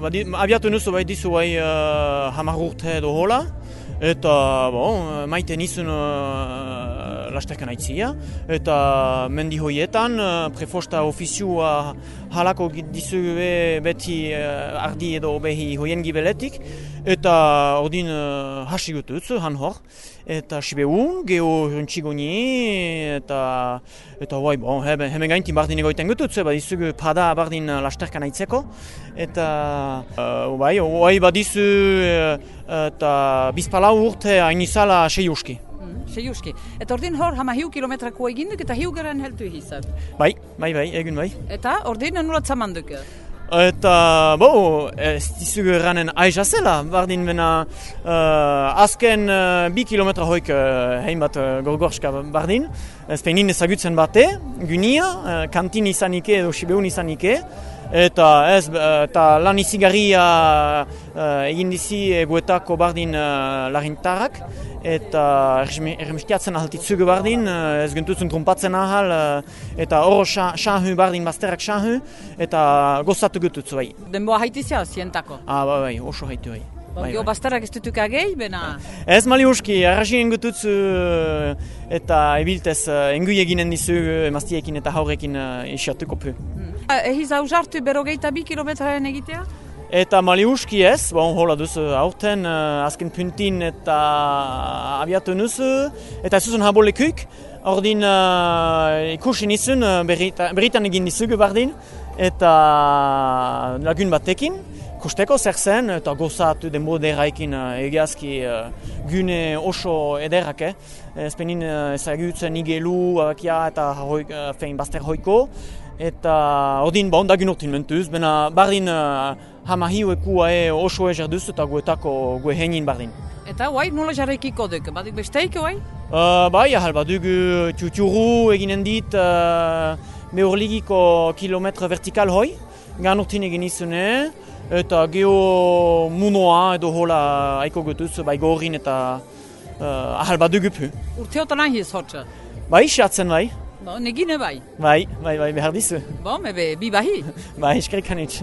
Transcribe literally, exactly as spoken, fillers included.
Abiatu nuzu bai dizu bai uh, hamar urte edo hola, eta bon, maite nizun uh, lasterkan aitzia, eta mendi hoietan uh, prefosta ofiziua halako dizu beti uh, ardi edo behi hoien gibeletik, eta ordin uh, hasi gututz, han hor, eta sibeun, geho runtxigoni, eta eta bai, bon, hemen, hemen gaintin bardin egoiten gututz, badizu pada bardin lasterkan aitzeko, eta uh, bai, bai badizu uh, eta bizpalau urte hain izala sei uski. Mm, sei uski. Eta ordin hor hama hiu kilometrako eginduk eta hiu garen heltu egizat? Bai, bai, bai, egun bai. Eta ordin nola txamanduk? Eta, bo, ez dizugu eranen aiza zela, bardin bena uh, azken uh, bi kilometra hoik uh, hein bat uh, gorgorska bardin. Ez peinin ezagutzen bate, gunia, uh, kantin izanike edo sibeun izanike, eta ez, eta lan izigarria uh, egin dizi eguetako bardin uh, larintarrak, eta erremestiatzen ahaltitzugu bardin, uh, ez gentutzen trumpatzen ahal, uh, eta oro xahu bardin bazterrak xahu, eta gozatu gututzu bai. Denboa haitizia zientako? Ah, bai, bai, oso haitu bai. Bai, Gio bai. bazterrak ez dutuk agei, bena? Ez mali uski, arrasien gututzu eta ebiltez engui eginen dizu emaztiekin eta haurekin isiatuko pu. Hmm. Ehiz hausartu berogeita bi kilometraren egitea? Eta mali uski ez, bon, hola duzu aurten azken puntin eta abiatu nuzu, eta ez zuzun habolekuik, ordin uh, ikusi nizun berritan egin dizugu bardin, eta lagun batekin, kusteko zer zen, eta gozatu denbo derraikin egiazki uh, gune oso ederrak, eh? Ezpenin uh, ezagutzen igelu, abakia eta hoik, uh, fein bazter hoiko, eta ordin ba ondagun urtin mentuz, bena bardin uh, hama hiuekua e oso ezer duz eta guetako gue heinin bardin. Eta guai, nola jarraikiko duk? Badik besteik, guai? Uh, bai, ahal badugu tiuturu eginen dit uh, meurligiko kilometre vertikal hoi, gan urtin egin izune, eta geho munoa edo hola aiko gutuz, bai gorin eta uh, ahal badugu pu. Urteotan ahiz hotxa? Bai, xatzen bai. Bo, negine bai? Bai, bai, bai, behar dizu. Bo, mebe, bi bahi? Bai, eskerrik anitz.